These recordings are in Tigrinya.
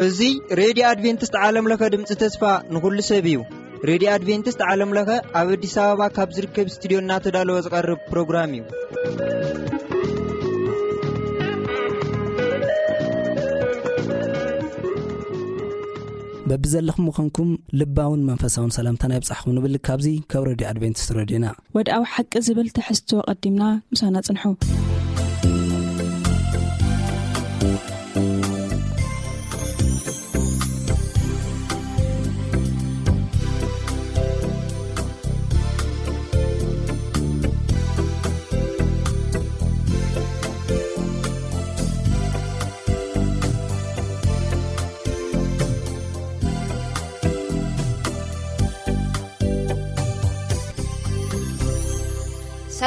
እዚ ሬድዮ ኣድቬንቲስት ዓለም ለኸ ድምፂ ተስፋ ንኹሉ ሰብ እዩ። ሬድዮ ኣድቬንቲስት ዓለም ለኸ ኣብ ኣዲስ ኣበባ ካብ ዝርከብ ስቱዲዮ እናተዳለወ ዝቐርብ ፕሮግራም እዩ። በብዘለኹም ምዃንኩም ልባውን መንፈሳውን ሰላምታና ይብጻሕኩም ንብል ካብዚ ካብ ሬድዮ ኣድቬንቲስት ሬድዮና። ወድኣዊ ሓቂ ዝብል ትሕዝቶ ቀዲምና ምሳና ጽንሑ።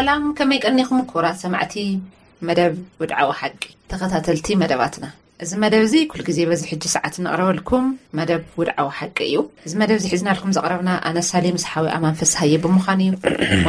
ሰላም፣ ከመይ ቀኒኹም ክቡራት ሰማዕቲ መደብ ውድዓዊ ሓቂ ተኸታተልቲ መደባትና? እዚ መደብ እዚ ኩል ግዜ በዚ ሕጂ ሰዓት እንቕረበልኩም መደብ ውድዓዊ ሓቂ እዩ። እዚ መደብ እዚ ሒዝናልኩም ዘቕረብና ኣነ ሳሌ ምስ ሓዊ ኣማን ፍስሃየ ብምዃን እዩ።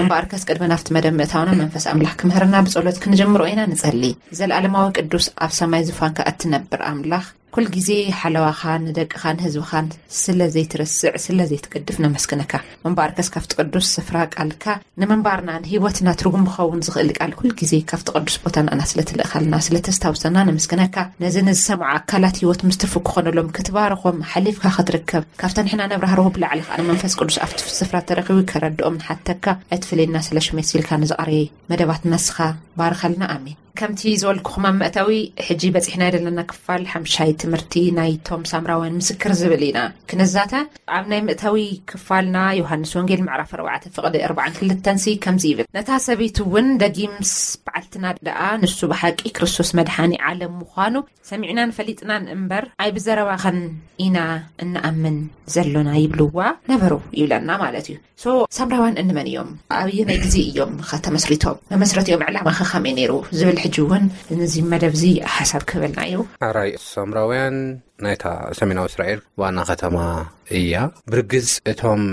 እምበኣርከስ ቅድሚ ናብቲ መደብ ምእታውና መንፈስ ኣምላኽ ክምህርና ብጸሎት ክንጀምሮ ኢና። ንጸሊ። ዘለኣለማዊ ቅዱስ ኣብ ሰማይ ዙፋንካ እትነብር ኣምላኽ፣ ኩል ግዜ ሓለዋኻን ንደቅኻን ህዝብኻን ስለ ዘይትረስዕ ስለ ዘይትገድፍ ነመስግነካ። እምበኣርከስ ካብቲ ቅዱስ ስፍራ ቃልካ ንምንባርና ንህይወትና ትርጉም ክኸውን ዝኽእል ቃል ኩል ግዜ ካብቲ ቅዱስ ቦታ ንኣና ስለ ትልእኻልና ስለ ተስታውሰና ነመስግነካ። ነዚ ንዝሰምዑ ኣካላት ህይወት ምስ ትርፉ ክኾነሎም ክትባርኾም ሓሊፍካ ክትርከብ ካብታ ንሕና ነብራህርሆ ብላዕሊ ከኣ ንመንፈስ ቅዱስ ኣብቲ ስፍራ ተረኺቡ ከረድኦም ንሓተካ። ኣይትፍለየና ስለ ሽመይ ሲልካ ንዝቐረየ መደባትና ንስኻ ባርኸልና። ኣሜን። ከምቲ ዝበልኩኹም ኣብ መእተዊ፣ ሕጂ በጺሕና ዘለና ክፋል ሓምሻይ ትምህርቲ ናይቶም ሳምራውያን ምስክር ዝብል ኢና ክንዛተ። ኣብ ናይ መእተዊ ክፋልና ዮሃንስ ወንጌል ምዕራፍ ኣርባዕተ ፍቕዲ ኣርባዓን ክልተን ሲ ከምዚ ይብል፣ ነታ ሰበይቲ እውን ደጊምስ በዓልትና ደኣ ንሱ ብሓቂ ክርስቶስ መድሓኒ ዓለም ምዃኑ ሰሚዕናን ፈሊጥናን እምበር ኣይብዘረባኸን ኢና እንኣምን ዘሎና ይብልዋ ነበሩ ይብለና ማለት እዩ። ሶ ሳምራውያን እንመን እዮም? ኣብየናይ ግዜ እዮም ኸ ተመስሪቶም? መመስረቲኦም ዕላማ ኸ ከመይ ነይሩ? ዝብል ሕጂ እውን ነዚ መደብ እዚ ሓሳብ ክህበልና እዩ። ኣራይ ሳምራውያን ናይታ ሰሜናዊ እስራኤል ዋና ከተማ እያ። ብርግጽ እቶም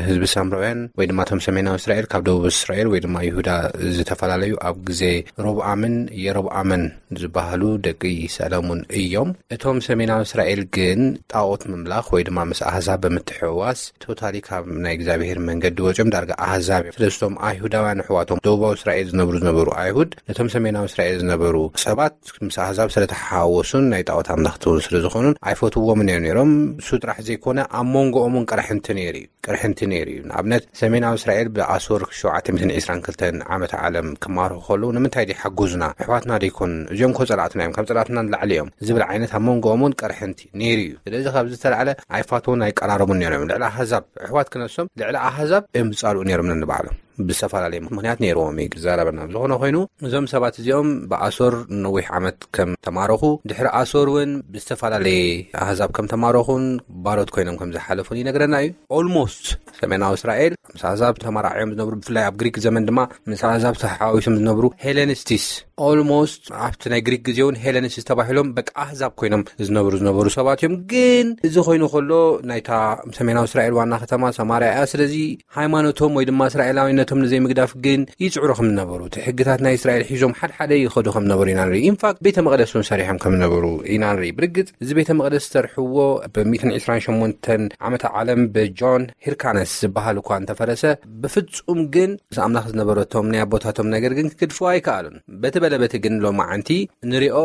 ህዝቢ ሳምራውያን ወይ ድማ እቶም ሰሜናዊ እስራኤል ካብ ደቡብ እስራኤል ወይ ድማ ይሁዳ ዝተፈላለዩ ኣብ ግዜ ሮብኣምን የሮብኣምን ዝበሃሉ ደቂ ሰለሙን እዮም። እቶም ሰሜናዊ እስራኤል ግን ጣዖት ምምላኽ ወይ ድማ ምስ ኣህዛብ ብምትሕውዋስ ቶታሊ ካብ ናይ እግዚኣብሔር መንገዲ ወፂኦም ዳርጋ ኣህዛብ እዮም። ስለዚ እቶም ኣይሁዳውያን ኣሕዋቶም ደቡባዊ እስራኤል ዝነብሩ ዝነበሩ ኣይሁድ ነቶም ሰሜናዊ እስራኤል ዝነበሩ ሰባት ምስ ኣህዛብ ስለተሓዋወሱን ናይ ጣዖት ኣምላኽቲ እውን ስለ ዝኾኑን ኣይፈትውዎምን እዮም ነይሮም። እሱ ጥራሕ ዘይኮነ ኣብ መንጎኦም እውን ቅርሕንቲ ነይሩ እዩ። ቅርሕንቲ ነይሩ እዩ። ንኣብነት ሰሜናዊ እስራኤል ብኣሶር ሸውዓተ ሚእትን ዕስራን ክልተን ዓመተ ዓለም ክማርኹ ከለዉ ንምንታይ ደይሓገዙና? ኣሕዋትና ደይኮኑን? እዚኦም እኮ ጸላእትና እዮም፣ ካብ ጸላእትና ንላዕሊ እዮም ዝብል ዓይነት ኣብ መንጎኦም እውን ቅርሕንቲ ነይሩ እዩ። ስለዚ ካብዚ ዝተላዕለ ኣይፋተውን ኣይቀራረቡን ነይሮም እዮም። ልዕሊ ኣህዛብ ኣሕዋት ክነሶም ልዕሊ ኣህዛብ እዮም ዝጻልኡ ነይሮም ነንባዕሎም። ብዝተፈላለየ ምኽንያት ነይርዎም እዩ ዝዛረበና። ዝኾነ ኮይኑ እዞም ሰባት እዚኦም ብኣሶር ነዊሕ ዓመት ከም ተማረኹ፣ ድሕሪ ኣሶር እውን ብዝተፈላለየ ኣህዛብ ከም ተማረኹን ባሮት ኮይኖም ከም ዝሓለፉን ይነግረና እዩ። ኦልሞስት ሰሜናዊ እስራኤል ምስ ኣህዛብ ተመራዕዮም ዝነብሩ፣ ብፍላይ ኣብ ግሪክ ዘመን ድማ ምስ ኣህዛብ ተሓዋዊሶም ዝነብሩ ሄለኒስቲስ፣ ኦልሞስት ኣብቲ ናይ ግሪክ ግዜ እውን ሄለኒስቲስ ተባሂሎም በቃ ኣህዛብ ኮይኖም ዝነብሩ ዝነበሩ ሰባት እዮም። ግን እዚ ኮይኑ ከሎ ናይታ ሰሜናዊ እስራኤል ዋና ከተማ ሰማርያ እያ። ስለዚ ሃይማኖቶም ወይ ድማ እስራኤላዊነቶም ንዘይምግዳፍ ግን ይጽዕሩ ከም ዝነበሩ፣ እቲ ሕግታት ናይ እስራኤል ሒዞም ሓድሓደ ይኸዱ ከም ዝነበሩ ኢና ንርኢ። ኢንፋክት ቤተ መቕደስ እውን ሰሪሖም ከም ዝነበሩ ኢና ንርኢ። ብርግጽ እዚ ቤተ መቕደስ ዝተርሕዎ ብ ሚእትን ዕስራን ሸሞንተን ዓመተ ዓለም ብጆን ሂርካነስ ዝበሃል እኳ እንተፈረሰ፣ ብፍጹም ግን ምስ ኣምላኽ ዝነበረቶም ናይ ኣቦታቶም ነገር ግን ክግድፍዎ ኣይከኣሉን። በቲ በለ በቲ ግን ሎማዓንቲ ንሪኦ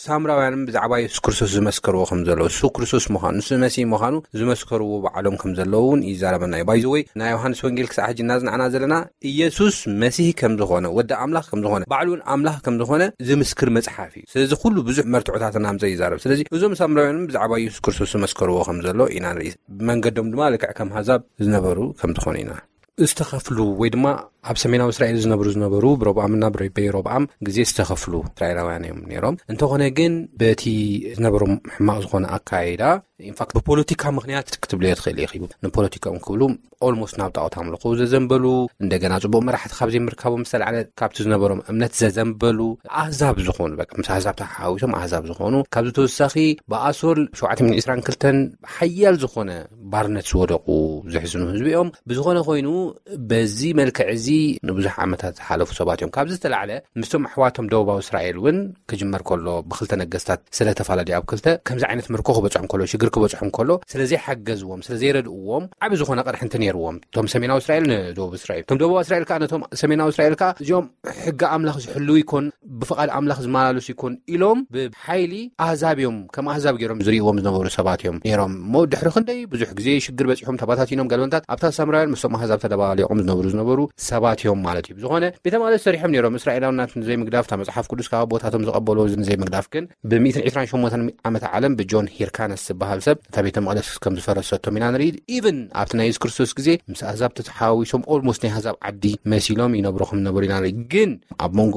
ሳምራውያንን ብዛዕባ የሱስ ክርስቶስ ዝመስከርዎ ከም ዘሎ፣ እሱ ክርስቶስ ምዃኑ፣ ንሱ መሲህ ምዃኑ ዝመስከርዎ ባዕሎም ከም ዘለዉ እውን ይዛረበና እዩ። ባይዘወይ ናይ ዮሃንስ ወንጌል ክሳዕ ሕጂ እናጽናዕና ዘለና ኢየሱስ መሲህ ከም ዝኾነ፣ ወዲ ኣምላኽ ከም ዝኾነ፣ ባዕሉ እውን ኣምላኽ ከም ዝኾነ ዝምስክር መጽሓፍ እዩ። ስለዚ ኩሉ ብዙሕ መርትዖታት እናምጸ ይዛረብ። ስለዚ እዞም ሳምራውያንን ብዛዕባ ኢየሱስ ክርስቶስ ዝመስከርዎ ከም ዘሎ ኢና ንርኢ። ብመንገዶም ድማ ልክዕ ከም ኣህዛብ ዝነበሩ ከም ዝኾኑ ኢና ዝተኸፍሉ ወይ ድማ ኣብ ሰሜናዊ እስራኤል ዝነብሩ ዝነበሩ ብሮብኣምና ብረ-፣ በይሮብኣም ግዜ ዝተኸፍሉ እስራኤላውያን እዮም ነይሮም። እንተኾነ ግን በቲ ዝነበሮም ሕማቕ ዝኾነ ኣካይዳ፣ ኢንፋክት ብፖለቲካ ምኽንያት ክትብልዮ ትኽእል ኢኺ። ንፖለቲካኦም ክብሉ ኦልሞስት ናብ ጣዖት ኣምልኾ ዘዘንበሉ፣ እንደገና ጽቡቕ መራሕቲ ካብ ዘይምርካቦም ዝተላዕለ ካብቲ ዝነበሮም እምነት ዘዘንበሉ፣ ኣህዛብ ዝኾኑ፣ በቃ ምስ ኣህዛብ ተሓዋዊሶም ኣህዛብ ዝኾኑ፣ ካብዚ ተወሳኺ ብኣሶር ሸውዓተ ሚእትን ዕስራን ክልተን ሓያል ዝኾነ ባርነት ዝወደቑ ዘሕዝኑ ህዝቢ እዮም። ብዝኾነ ኮይኑ በዚ መልክዕ እዚ ንብዙሕ ዓመታት ዝሓለፉ ሰባት እዮም። ካብዚ ዝተላዕለ ምስቶም ኣሕዋቶም ደቡባዊ እስራኤል እውን ክጅመር ከሎ ብክልተ ነገስታት ስለተፈላለዩ ኣብ ክልተ ከምዚ ዓይነት ምርኮ ክበፅሖም ከሎ ሽግር ክበፅሖም ከሎ ስለዘይሓገዝዎም ስለዘይረድእዎም ዓብ ዝኾነ ቅርሕንቲ ነይርዎም እቶም ሰሜናዊ እስራኤል ንደቡብ እስራኤል። እቶም ደቡባዊ እስራኤል ከዓ ነቶም ሰሜናዊ እስራኤል ከዓ እዚኦም ሕጊ ኣምላኽ ዝሕልው ይኮን ብፍቓድ ኣምላኽ ዝመላለሱ ይኮን ኢሎም ብሓይሊ ኣህዛብ እዮም ከም ኣህዛብ ገይሮም ዝርእዎም ዝነበሩ ሰባት እዮም ነይሮም። እሞ ድሕሪ ክንደይ ብዙሕ ግዜ ሽግር በፂሖም ተባታቲኖም ገለመንታት ኣብታ ሳምራውያን ምስቶም ኣህዛብ ተደባሊቆም ዝነብሩ ዝነበሩ ሰባት እዮም ማለት እዩ። ብዝኾነ ቤተ መቅደስ ሰሪሖም ነይሮም። እስራኤላውናት ንዘይምግዳፍ እታ መፅሓፍ ቅዱስ ካብ ኣቦታቶም ዝቐበሉ ንዘይምግዳፍ ግን ብ ሚእትን ዕስራን ሸሞንተን ዓመተ ዓለም ብጆን ሂርካነስ ዝበሃል ሰብ እታ ቤተ መቅደስ ከም ዝፈረሰቶም ኢና ንርኢ። ኢቭን ኣብቲ ናይ የሱስ ክርስቶስ ግዜ ምስ ኣህዛብ ተተሓዋዊሶም ኦልሞስት ናይ ኣህዛብ ዓዲ መሲሎም ይነብሩ ከም ዝነበሩ ኢና ንርኢ። ግን ኣብ መንጎ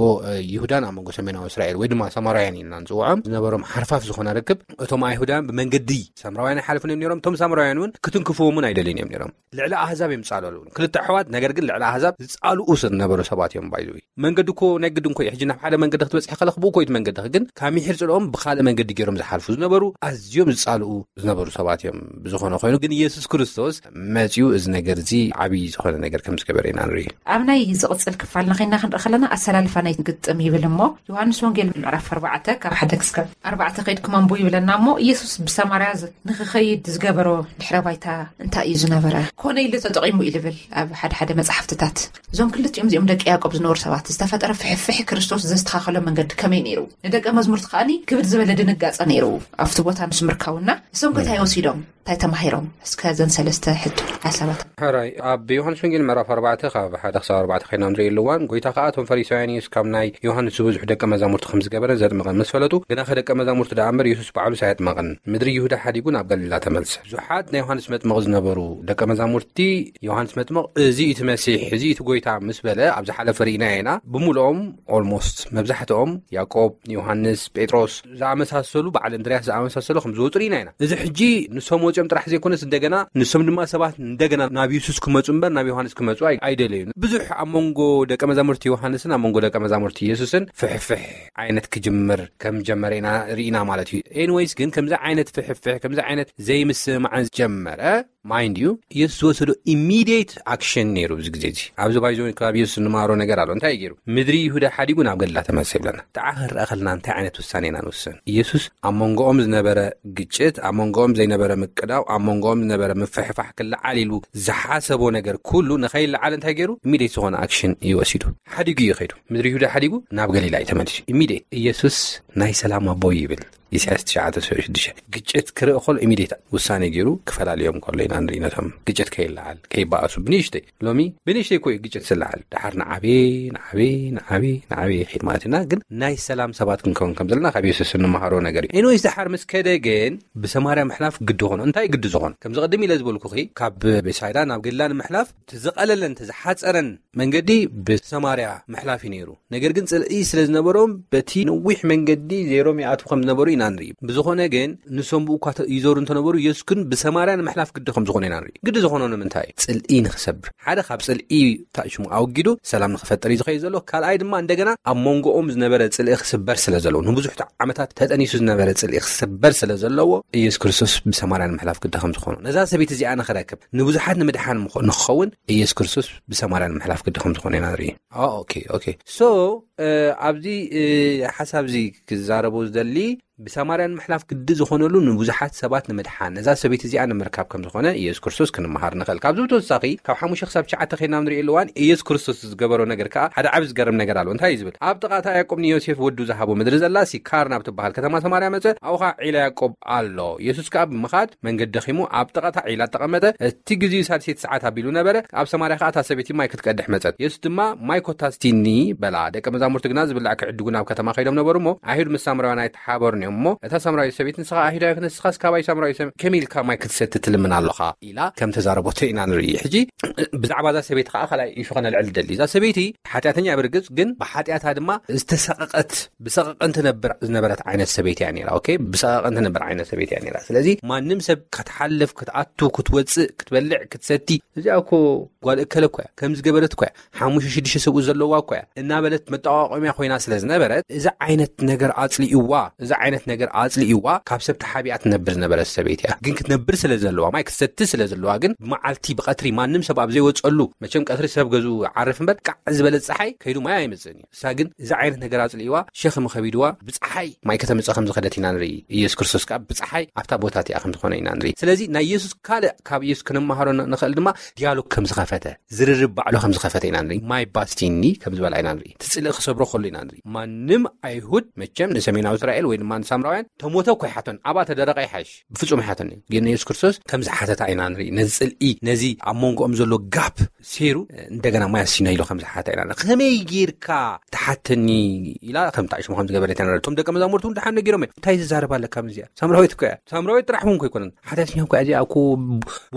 ይሁዳን ኣብ መንጎ ሰሜናዊ እስራኤል ወይ ድማ ሰማራውያን ኢልና ንፅውዖም ዝነበሮም ሓርፋፍ ዝኾነ ርክብ እቶም ኣይሁዳውያን ብመንገዲ ሳምራውያን ይሓልፉን እዮም ነይሮም። እቶም ሳምራውያን እውን ክትንክፍዎም እውን ኣይደልዩን እዮም ነይሮም። ልዕሊ ኣህዛብ እዮም ዝፃለሉ። ክልተ ኣሕዋት ነገር ግን ልዕሊ ኣህዛብ ዝፃልኡ ዝነበሩ ሰባት እዮም። ባይዘወይ መንገዲ እኮ ናይ ግድን ኮ ሕጂ ናብ ሓደ መንገዲ ክትበፅሒ ከለክ ብኡ ኮይት መንገዲ ግን ካብ ምሒር ፅልኦም ብካልእ መንገዲ ገይሮም ዝሓልፉ ዝነበሩ ኣዝዮም ዝፃልኡ ዝነበሩ ሰባት እዮም። ብዝኾነ ኮይኑ ግን ኢየሱስ ክርስቶስ መፅኡ እዚ ነገር እዚ ዓብዪ ዝኾነ ነገር ከም ዝገበረ ኢና ንርኢ። ኣብ ናይ ዝቕፅል ክፋል ንኸይና ክንርኢ ከለና ኣሰላልፋ ናይ ግጥም ይብል እሞ ዮሃንስ ወንጌል ምዕራፍ ኣርባዕተ ካብ ሓደ ክስከብ ኣርባዕተ ከይድኩም ኣንቡ ይብለና እሞ ኢየሱስ ብሰማርያ ንክኸይድ ዝገበሮ ድሕረ ባይታ እንታይ እዩ ዝነበረ? ኮነ ኢሉ ተጠቒሙ እዩ ዝብል ኣብ ሓደ ሓደ መፅሓፍትታት እዞም ክልቲኦም እዚኦም ደቂ ያዕቆብ ዝነበሩ ሰባት ዝተፈጠረ ፍሕፍሕ ክርስቶስ ዘስተኻኸሎ መንገዲ ከመይ ነይሩ? ንደቀ መዝሙርቲ ከዓኒ ክብድ ዝበለ ድንጋፀ ነይሩ። ኣብቲ ቦታ ምስ ምርካውና እሶም ከታይ ወሲዶም እንታይ ተማሂሮም? እስከ ዘን ሰለስተ ሕቶ ሓሳባት። ሕራይ ኣብ ዮሃንስ ወንጌል ምዕራፍ ኣርባዕተ ካብ ሓደ ክሳብ ኣርባዕተ ከይና ንርኢ ኣለዋን ጎይታ ከዓ እቶም ፈሪሳውያን ኢየሱስ ካብ ናይ ዮሃንስ ዝበዝሑ ደቀ መዛሙርቲ ከም ዝገበረ ዘጥምቐን ምስ ፈለጡ ግናኸ ደቀ መዛሙርቲ ደኣ እምበር ኢየሱስ ባዕሉስ ኣየጥመቐን። ምድሪ ይሁዳ ሓዲጉ ናብ ገሊላ ተመልሰ። ብዙሓት ናይ ዮሃንስ መጥምቕ ዝነበሩ ደቀ መዛሙርቲ ዮሃንስ መጥምቕ እዚ እቲ መሲሕ እዚ እቲ ጎይታ ምስ በለ ኣብ ዝሓለፈ ርኢና ኢና። ብምልኦም ኦልሞስት መብዛሕትኦም ያዕቆብ፣ ዮሃንስ፣ ጴጥሮስ ዝኣመሳሰሉ በዓል እንድርያስ ዝኣመሳሰሉ ከም ዝወፁ ርኢና ኢና። እዚ ሕጂ ንሶም ወፂኦም ጥራሕ ዘይኮነስ እንደገና ንሶም ድማ ሰባት እንደገና ናብ የሱስ ክመፁ እምበር ናብ ዮሃንስ ክመፁ ኣይደለዩን። ብዙሕ ኣብ መንጎ ደቀ መዛሙርቲ ዮሃንስን ኣብ መንጎ ደቀ መዛሙርቲ የሱስን ፍሕፍሕ ዓይነት ክጅምር ከም ጀመረ ኢና ርኢና ማለት እዩ። ኤንወይስ ግን ከምዚ ዓይነት ፍሕፍሕ ከምዚ ዓይነት ዘይምስምማዕን ጀመረ። ማይንድ ዩ ኢየሱስ ዝወሰዶ ኢሚዲየት ኣክሽን ነይሩ። እዚ ግዜ እዚ ኣብዚ ባይዞ ካብ ኢየሱስ እንመሃሮ ነገር ኣሎ። እንታይ ገይሩ? ምድሪ ይሁዳ ሓዲጉ ናብ ገሊላ ተመልሰ ይብለና። ተዓ ክንረአ ከለና እንታይ ዓይነት ውሳኔ ኢና ንውስን? ኢየሱስ ኣብ መንጎኦም ዝነበረ ግጭት፣ ኣብ መንጎኦም ዘይነበረ ምቅዳው፣ ኣብ መንጎኦም ዝነበረ ምፍሕፋሕ ክለዓል ኢሉ ዝሓሰቦ ነገር ኩሉ ንኸይለዓል እንታይ ገይሩ? ኢሚዲየት ዝኾነ ኣክሽን እዩ ወሲዱ። ሓዲጉ እዩ ከይዱ። ምድሪ ይሁዳ ሓዲጉ ናብ ገሊላ እዩ ተመሊሱ። ኢሚዲየት ኢየሱስ ናይ ሰላም ኣቦ ይብል። ኢሳያስ ትሽዓተ ሽዱሽተ ግጭት ክርኢ ከሎ ኢሚዲየት ውሳኔ ገይሩ ክፈላልዮም ከሎ ኢና ንርኢ። ነቶም ግጭት ከይለዓል ከይበኣሱ ብንእሽተይ ሎሚ ብንእሽተይ እኮ እዩ ግጭት ዝለዓል። ድሓር ንዓበየ ንዓበየ ንዓበየ ንዓበየ ይኸይድ ማለት ኢና። ግን ናይ ሰላም ሰባት ክንከውን ከም ዘለና ካብ የሱስ እንመሃሮ ነገር እዩ። ኤንወይስ ድሓር ምስ ከደ ግን ብሰማርያ ምሕላፍ ግዲ ኾኖ። እንታይ ግዲ ዝኾን? ከምዚ ቅድም ኢለ ዝበልኩኺ ካብ ቤሳይዳ ናብ ገሊላ ንምሕላፍ እቲ ዝቐለለን እቲ ዝሓፀረን መንገዲ ብሰማርያ ምሕላፍ እዩ ነይሩ። ነገር ግን ጽልኢ ስለ ዝነበሮም በቲ ነዊሕ መንገዲ ዜሮም ይኣትዉ ከም ዝነበሩ ኢና ንርኢ። ብዝኾነ ግን ንሶም ብኡ እኳ ይዞሩ እንተነበሩ የሱስ ግን ብሰማርያ ንምሕላፍ ግዲ ከም ዝኾነ ኢና ንርኢ። ግዲ ዝኾኖ ንምንታይ? ጽልኢ ንኽሰብር። ሓደ ካብ ጽልኢ ታእሽሙ ኣውጊዱ ሰላም ንኽፈጥር እዩ ዝኸይድ ዘሎ። ካልኣይ ድማ እንደገና ኣብ መንጎኦም ዝነበረ ጽልኢ ክስበር ስለ ዘለዎ ንብዙሕ ዓመታት ተጠኒሱ ዝነበረ ጽልኢ ክስበር ስለ ዘለዎ ኢየሱስ ክርስቶስ ብሰማርያ ንምሕላፍ ግዲ ከም ዝኾኖ ነዛ ሰበይቲ እዚኣ ንኽረክብ ንብዙሓት ንምድሓን ንኽኸውን ኢየሱስ ክርስቶስ ብሰማርያ ንምሕላፍ ግዲ ከም ዝኾነ ኢና ንርኢ። ኦኬ ኦኬ ሶ ኣብዚ ሓሳብ እዚ ክዛረቦ ዝደሊ ብሰማርያ ንምሕላፍ ግዲ ዝኾነሉ ንብዙሓት ሰባት ንምድሓን ነዛ ሰበይቲ እዚኣ ንምርካብ ከም ዝኾነ ኢየሱስ ክርስቶስ ክንመሃር ንኽእል። ካብዚ ብተወሳኺ ካብ ሓሙሽተ ክሳብ ትሽዓተ ከይና ንሪኦ ኣለዋን ኢየሱስ ክርስቶስ ዝገበሮ ነገር ከዓ ሓደ ዓብ ዝገርም ነገር ኣሎ። እንታይ እዩ ዝብል? ኣብ ጥቓ እታ ያዕቆብ ንዮሴፍ ወዱ ዝሃቦ ምድሪ ዘላ ሲካር ናብ ትበሃል ከተማ ሰማርያ መጸ። ኣብኡ ከዓ ዒላ ያዕቆብ ኣሎ። ኢየሱስ ከዓ ብምኻድ መንገዲ ደኺሙ ኣብ ጥቓ እታ ዒላ ተቐመጠ። እቲ ግዜኡ ሳልሰይቲ ሰዓት ኣቢሉ ነበረ። ኣብ ሰማርያ ከኣ እታ ሰበይቲ ማይ ክትቀድሕ መጸት። የሱስ ድማ፣ "ማይ ኮታ ስቲኒ" በላ። ደቀ መዛሙርቲ ግና ዝብላዕ ክዕድጉ ናብ ከተማ ከይዶም ነበሩ እሞ፣ ኣይሁድ ምስ ሳምራውያን ኣይተሓባበሩን እዮም እሞ፣ እታ ሳምራዊት ሰበይቲ፣ "ንስኻ ኣይሁዳዊ፣ ንስኻስ ካባይ ሳምራዊ ሰብ ከመይ ኢልካ ማይ ክትሰቲ ትልምን ኣሎኻ?" ኢላ ከም ተዛረበቶ ኢና ንርኢ። ሕጂ ብዛዕባ እዛ ሰበይቲ ከኣ ካልኣይ ኢሹ ከነልዕል ደሊ። እዛ ሰበይቲ ሓጢኣተኛ እያ ብርግጽ፣ ግን ብሓጢኣታ ድማ ዝተሰቐቐት፣ ብሰቐቐን ትነብር ዝነበረት ዓይነት ሰበይቲ እያ ነይራ። ኦኬ፣ ብሰቐቐን ትነብር ዓይነት ሰበይቲ እያ ነይራ። ስለዚ ማንም ሰብ ክትሓልፍ፣ ክትኣቱ፣ ክትወጽእ፣ ክትበልዕ፣ ክትሰቲ፣ "እዚኣ እኮ ጓል እከለ እኮ እያ፣ ከምዚ ገበረት እኮ እያ፣ ሓሙሽተ ሽዱሽተ ሰብኡት ዘለዋ እኮ እያ" እናበለት መጠቋቆሚያ ኮይና ስለ ዝነበረት፣ እዚ ዓይነት ነገር ኣጽሊእዋ፣ እዚ ዓይነት ዓይነት ነገር ኣጽሊእዋ ካብ ሰብ ተሓቢኣ ትነብር ዝነበረት ሰበይቲ እያ። ግን ክትነብር ስለ ዘለዋ፣ ማይ ክትሰቲ ስለ ዘለዋ፣ ግን ብመዓልቲ ብቐትሪ ማንም ሰብ ኣብ ዘይወጸሉ፣ መቸም ቀትሪ ሰብ ገዝኡ ዓርፍ እምበር፣ ቃዕ ዝበለ ጸሓይ ከይዱ ማይ ኣይመጽእን እዩ። እሳ ግን እዚ ዓይነት ነገር ኣጽሊእዋ፣ ሸኽሚ ከቢድዋ ብጸሓይ ማይ ከተምጽእ ከም ዝኸደት ኢና ንርኢ። ኢየሱስ ክርስቶስ ከኣ ብጸሓይ ኣብታ ቦታ እቲኣ ከም ዝኾነ ኢና ንርኢ። ስለዚ ናይ ኢየሱስ ካልእ ካብ ኢየሱስ ክንመሃሮ ን- ንኽእል ድማ ዲያሎግ ከም ዝኸፈተ፣ ዝርርብ ባዕሉ ከም ዝኸፈተ ኢና ንርኢ። ማይ ባስቲኒ ከም ዝበላ ኢና ንርኢ። እቲ ጽልኢ ክሰብሮ ከሎ ኢና ንርኢ። ማንም ኣይሁድ መቸም ንሰሜናዊ እስራኤል ወይ ድማ ንሳምራውያን ተሞተ እኮ ይሓቶን፣ ኣብኣ ተደረቐ ይሓይሽ፣ ብፍጹም ይሓቶን እዩ። ግን ኢየሱስ ክርስቶስ ከም ዝሓተታ ኢና ንርኢ። ነዚ ጽልኢ፣ ነዚ ኣብ መንጎኦም ዘሎ ጋፕ ሴሩ እንደገና ማይ ኣስቲና ኢሉ ከም ዝሓታ ኢና ንርኢ። ከመይ ጌርካ ትሓተኒ ኢላ ከም ጣዕሽሙ ከም ዝገበረት ኢና ንርኢ። እቶም ደቀ መዛሙርቱ እውን ደሓን ነጊሮም እዮም። እንታይ ዝዛረብ ኣለካ ምስዚኣ? ሳምራዊት እኮ እያ። ሳምራዊት ጥራሕ እውን እኮ ኣይኮነን። ሓጢኣተኛ እኮ እያ እዚኣ እኮ፣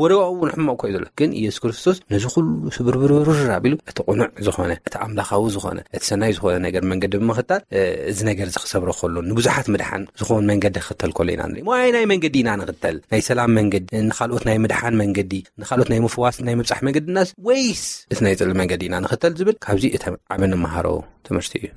ወደዋ እውን ሕማቕ እኮ እዩ ዘሎ። ግን ኢየሱስ ክርስቶስ ነዚ ኩሉ ስብርብርብር ኣቢሉ እቲ ቅኑዕ ዝኾነ፣ እቲ ኣምላኻዊ ዝኾነ፣ እቲ ሰናይ ዝኾነ ነገር መንገዲ ብምኽታል፣ እ፣ እዚ ነገር እዚ ክሰብሮ ከሎ፣ ንብዙሓት ምድሓን ዝኸውን መንገዲ ክኽተል ከሎ ኢና ንርኢ። ዋይ ናይ መንገዲ ኢና ንኽተል? ናይ ሰላም መንገዲ፣ ንኻልኦት ናይ ምድሓን መንገዲ፣ ንኻልኦት ናይ ምፍዋስ፣ ናይ ምብጻሕ መንገዲ እናስ ወይስ እቲ ናይ ጽልኢ መንገዲ ኢና ንኽተል ዝብል ካብዚ እቲ ዓቢ ንመሃሮ ትምህርቲ እዩ።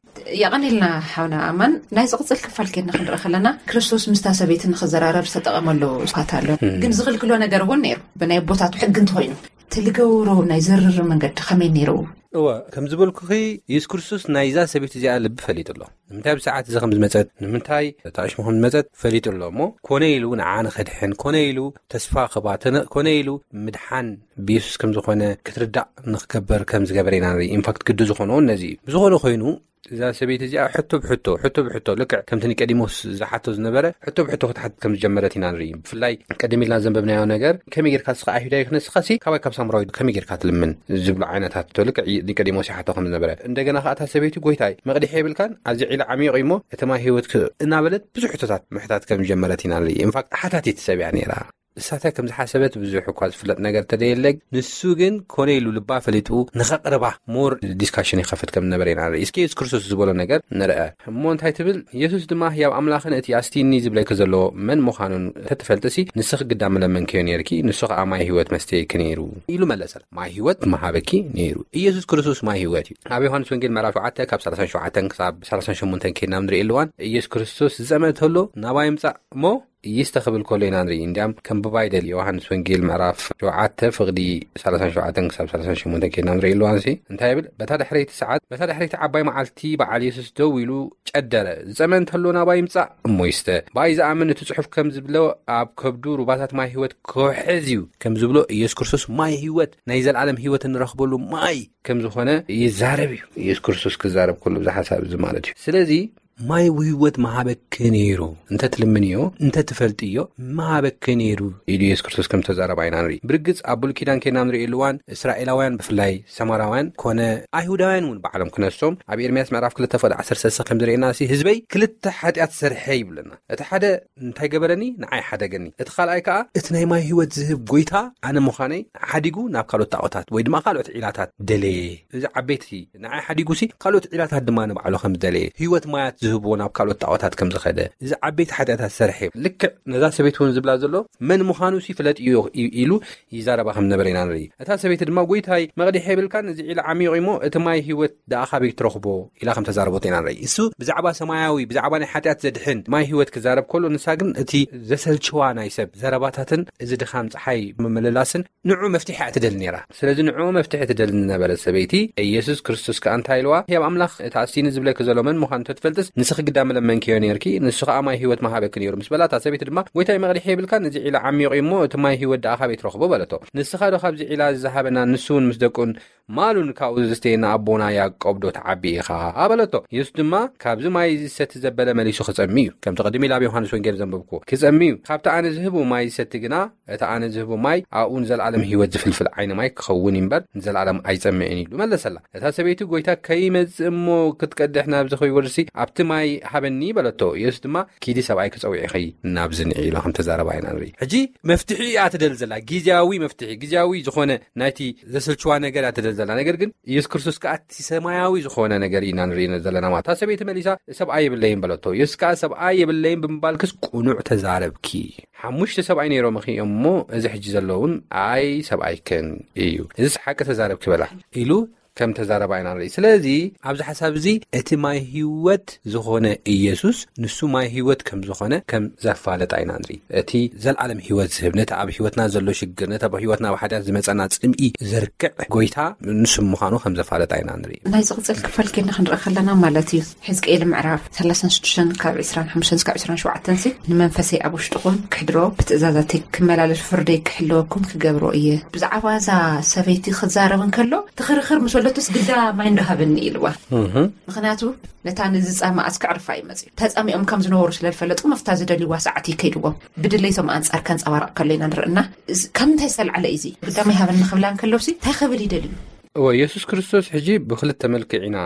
የቐኒልና ሓውና ኣማን። ናይ ዝቕጽል ክፋል ኬድና ክንርኢ ከለና ክርስቶስ ምስታ ሰበይቲ ንኽዘራረብ ዝተጠቐመሉ ስፋት ኣሎ። ግን ዝኽልክሎ ነገር እውን ነይሩ። ብናይ ኣቦታቱ ሕጊ እንተኾይኑ እቲ ልገብሮ ናይ ዝርርብ መንገዲ ከመይ ነይሩ? እወ፣ ከም ዝበልኩኺ፣ ኢየሱስ ክርስቶስ ናይዛ ሰበይቲ እዚኣ ልቢ ፈሊጡ ኣሎ። ንምንታይ ብሰዓት እዚ ከም ዝመጸት፣ ንምንታይ እታ ዕሽሙ ከም ዝመጸት ፈሊጡ ኣሎ እሞ፣ ኮነ ኢሉ ንዓ ንኸድሕን፣ ኮነ ኢሉ ተስፋ ክባ፣ ተነ-፣ ኮነ ኢሉ ምድሓን ብኢየሱስ ከም ዝኾነ ክትርዳእ ንኽገብር ከም ዝገበረ ኢና ንርኢ። ኢንፋክት ግዲ ዝኾነውን ነዚ እዩ። ብዝኾነ ኮይኑ፣ እዛ ሰበይቲ እዚኣ ሕቶ ብሕቶ፣ ሕቶ ብሕቶ፣ ልክዕ ከምቲ ኒቆዲሞስ ዝሓቶ ዝነበረ ሕቶ ብሕቶ ክትሓትት ከም ዝጀመረት ኢና ንርኢ። ብፍላይ ቀደም ኢልና ዘንበብናዮ ነገር፣ ከመይ ጌርካ ንስኻ ኣይሁዳዊ ክነስኻሲ፣ ካባይ ካብ ሳምራዊ ከመይ ጌርካ ትልምን ዝብሉ ዓይነታት ሕቶ፣ ልክዕ ኒቆዲሞስ ይሓቶ ከም ዝነበረ። እንደገና ከኣ እታ ሰበይቲ፣ ጎይታይ፣ መቕድሒ የብልካን? ኣብዚ ዒላ ዓሚቕ እሞ እቲ ማይ ህይወት ክ-፣ እናበለት ብዙሕ ሕቶታት ምሕታት ከም ዝጀመረት ኢና ንርኢ። ኢንፋክት ሓታቲት ሰብ እያ ነይራ። እሳታ ከም ዝሓሰበት ብዙሕ እኳ ዝፍለጥ ነገር ተደየለ፣ ንሱ ግን ኮነ ኢሉ ልባ ፈሊጡ ንኸቕርባ ሞር ዲስካሽን ይኸፍት ከም ዝነበረ ኢና ንርኢ። እስኪ የሱስ ክርስቶስ ዝበሎ ነገር ንርአ። እሞ እንታይ ትብል? የሱስ ድማ ህያብ ኣምላኽን እቲ ኣስቲኒ ዝብለኪ ዘሎ መን ምዃኑን እንተትፈልጥሲ፣ ንስኺ ግዳ ምለመንክዮ ነይርኪ፣ ንሱ ኸኣ ማይ ህይወት መስተየኪ ነይሩ ኢሉ መለሰላ። ማይ ህይወት ምሃበኪ ነይሩ። ኢየሱስ ክርስቶስ ማይ ህይወት እዩ። ኣብ ዮሃንስ ወንጌል ምዕራፍ ሸውዓተ ካብ ሰላሳን ሸውዓተን ክሳብ ሰላሳን ሸሞንተን ከይድና ንርኢ ኣለዋን፣ ኢየሱስ ክርስቶስ ዝጸመ እንተሎ ናባይ ምጻእ እሞ ይስተ ክብል ከሎ ኢና ንርኢ። እንዲያም ከንብባ ይደሊ። ዮሃንስ ወንጌል ምዕራፍ ሸውዓተ ፍቕዲ ሰላሳን ሸውዓተን ክሳብ ሰላሳን ሸሞንተን ከይድና ንርኢ ኣለዋንሲ እንታይ ይብል? በታ ድሕረይቲ ሰዓት፣ በታ ድሕረይቲ ዓባይ መዓልቲ በዓል የሱስ ደው ኢሉ ጨደረ። ዝጸመ እንተሎ ናባይ ይምጻእ እሞ ይስተ። ብኣይ ዝኣምን እቲ ጽሑፍ ከም ዝብሎ ኣብ ከብዱ ሩባታት ማይ ህይወት ክውሕዝ እዩ ከም ዝብሎ ኢየሱስ ክርስቶስ ማይ ህይወት፣ ናይ ዘለኣለም ህይወት እንረኽበሉ ማይ ከም ዝኾነ ይዛረብ እዩ። ኢየሱስ ክርስቶስ ክዛረብ ከሎ እዚ ሓሳብ እዚ ማለት እዩ። ስለዚ ማይ ህይወት ምሃበኪ ነይሩ፣ እንተ ትልምንዮ፣ እንተ ትፈልጥዮ ምሃበኪ ነይሩ ኢሉ ኢየሱስ ክርስቶስ ከም ተዛረባ ኢና ንርኢ። ብርግጽ ኣብ ብሉይ ኪዳን ከይድና ንርእየሉ እዋን እስራኤላውያን ብፍላይ ሰማራውያን ኮነ ኣይሁዳውያን እውን ባዕሎም ክነሶም ኣብ ኤርምያስ ምዕራፍ ክልተ ፍቕዲ ዓሰርተ ሰለስተ ከም ዘርእየና ሲ ህዝበይ ክልተ ሓጢኣት ሰርሐ ይብለና። እቲ ሓደ እንታይ ገበረኒ? ንዓይ ሓደገኒ። እቲ ካልኣይ ከኣ እቲ ናይ ማይ ህይወት ዝህብ ጎይታ ኣነ ምዃነይ ሓዲጉ ናብ ካልኦት ጣዖታት ወይ ድማ ካልኦት ዒላታት ደለየ። እዚ ዓበይቲ ንዓይ ሓዲጉሲ ካልኦት ዒላታት ድማ ንባዕሉ ከም ዝደለየ፣ ህይወት ማያት ዝህብዎ ናብ ካልኦት ጣዖታት ከም ዝኸደ፣ እዚ ዓበይቲ ሓጢኣታት ሰርሐ። ልክዕ ነዛ ሰበይቲ እውን ዝብላ ዘሎ መን ምዃኑሲ ፍለጥዮ ኢ-፣ ኢሉ ይዛረባ ከም ነበረ ኢና ንርኢ። እታ ሰበይቲ ድማ ጎይታይ መቕድሒ የብልካን፣ እዚ ዒላ ዓሚቕ እሞ እቲ ማይ ህይወት ደኣ ካበይ ትረኽቦ ኢላ ከም ተዛረበቶ ኢና ንርኢ። እሱ ብዛዕባ ሰማያዊ፣ ብዛዕባ ናይ ሓጢኣት ዘድሕን ማይ ህይወት ክዛረብ ከሎ፣ ንሳ ግን እቲ ዘሰልችዋ ናይ ሰብ ዘረባታትን እዚ ድኻም ጸሓይ ምምልላስን ንዑ መፍትሒ እያ ትደሊ ነይራ። ስለዚ ንዑ መፍትሒ ትደሊ ዝነበረት ሰበይቲ፣ ኢየሱስ ክርስቶስ ከኣ እንታይ ኢልዋ? ህያብ ኣምላኽ፣ እቲ ኣስቲኒ ዝብለኪ ዘሎ መን ምዃኑ እንተትፈልጥስ፣ ንስኺ ግዳ ምለመንክዮ ነይርኪ፣ ንሱ ከኣ ማይ ህይወት ምሃበኪ ነይሩ ምስ በላ፣ እታ ሰበይቲ ድማ፣ ጎይታይ መቕድሒ የብልካን፣ እዚ ዒላ ዓሚቕ እዩ እሞ፣ እቲ ማይ ህይወት ደኣ ካበይ ትረኽቦ? በለቶ። ንስኻ ዶ ካብዚ ዒላ እዚ ዝሃበና፣ ንሱ እውን ምስ ደቁን ማሉን ካብኡ ዘስተየና ኣቦና ያዕቆብ ዶ ትዓቢ ኢኻ? በለቶ። የሱስ ድማ፣ ካብዚ ማይ እዚ ዝሰቲ ዘበለ መሊሱ ክጸሚ እዩ። ከምቲ ቅድም ኢለ ኣብ ዮሃንስ ወንጌል ዘንበብክዎ፣ ክጸሚ እዩ። ካብቲ ኣነ ዝህቡ ማይ ዝሰቲ ግና፣ እቲ ኣነ ዝህቡ ማይ ኣብኡ ንዘለኣለም ህይወት ዝፍልፍል ዓይኒ ማይ ክኸውን እዩ እምበር፣ ንዘለኣለም ኣይጸምእን ኢሉ መለሰላ። እታ ሰበይቲ፣ ጎይታ፣ ከይመጽእ እሞ ክትቀድሕ ናብዚ ከይወርድሲ ኣብቲ ማይ ሃበኒ በለቶ። የሱስ ድማ፣ ኪዲ ሰብኣይኪ ጸዊዕኺ ናብዚ ንዒ ኢሉ ከም ተዛረባ ኢና ንርኢ። ሕጂ መፍትሒ እያ ትደሊ ዘላ፣ ግዝያዊ መፍትሒ፣ ግዝያዊ ዝኾነ ናይቲ ዘሰልችዋ ነገር እያ ትደሊ ዘላ። ነገር ግን ኢየሱስ ክርስቶስ ከኣ እቲ ሰማያዊ ዝኾነ ነገር ኢና ንርኢ ዘለና ማለት። እታ ሰበይቲ መሊሳ፣ ሰብኣይ የብለይን በለቶ። የሱስ ከኣ፣ ሰብኣይ የብለይን ብምባልክስ ቅኑዕ ተዛረብኪ። ሓሙሽተ ሰብኣይ ነይሮምኺ እዮም እሞ፣ እዚ ሕጂ ዘሎ እውን ኣይ ሰብኣይክን እዩ። እዚስ ሓቂ ተዛረብኪ በላ ኢሉ ከም ተዛረባ ኢና ንርኢ። ስለዚ ኣብዚ ሓሳብ እዚ እቲ ማይ ህይወት ዝኾነ ኢየሱስ ንሱ ማይ ህይወት ከም ዝኾነ ከም ዘፋለጣ ኢና ንርኢ። እቲ ዘልዓለም ህይወት ዝህብ፣ ነቲ ኣብ ህይወትና ዘሎ ሽግር፣ ነቲ ኣብ ህይወትና ኣብ ሓጢኣት ዝመጸና ጽምኢ ዘርክዕ ጎይታ ንሱ ምዃኑ ከም ዘፋለጣ ኢና ንርኢ። ናይ ዝቕጽል ክፋል ኬድና ክንርኢ ከለና ማለት እዩ። ሕዝቅኤል ምዕራፍ ሰላሳን ሽዱሽተን ካብ ዕስራን ሓሙሽተን እስካብ ዕስራን ሸውዓተን ሲ፣ "ንመንፈሰይ ኣብ ውሽጥኹም ክሕድሮ፣ ብትእዛዛተይ ክመላለስ፣ ፍርደይ ክሕልወኩም ክገብሮ እየ." ብዛዕባ እዛ ሰበይቲ ክዛረብ እንከሎ ትኽርኽር ምስ በለቶስ፣ "ግዳ ማይ እንዶ ሃበኒ" ኢልዋ። ምኽንያቱ ነታ ንዝጻመኣስ ክዕርፋ እዩ መጽዩ። ተጻሚኦም ከም ዝነበሩ ስለ ዝፈለጡ፣ መፍታ ዝደልይዋ ሰዓት እዩ ከይድዎም። ብድሌቶም ኣንጻር ከንጸባርቕ ከሎ ኢና ንርእና። እዚ ካብ ምንታይ ዝተላዕለ እዩ እዚ? "ግዳ ማይ ሃበኒ" ክብላ እንከሎሲ እንታይ ክብል ይደልዩ? እወ፣ የሱስ ክርስቶስ ሕጂ ብክልተ መልክዕ ኢና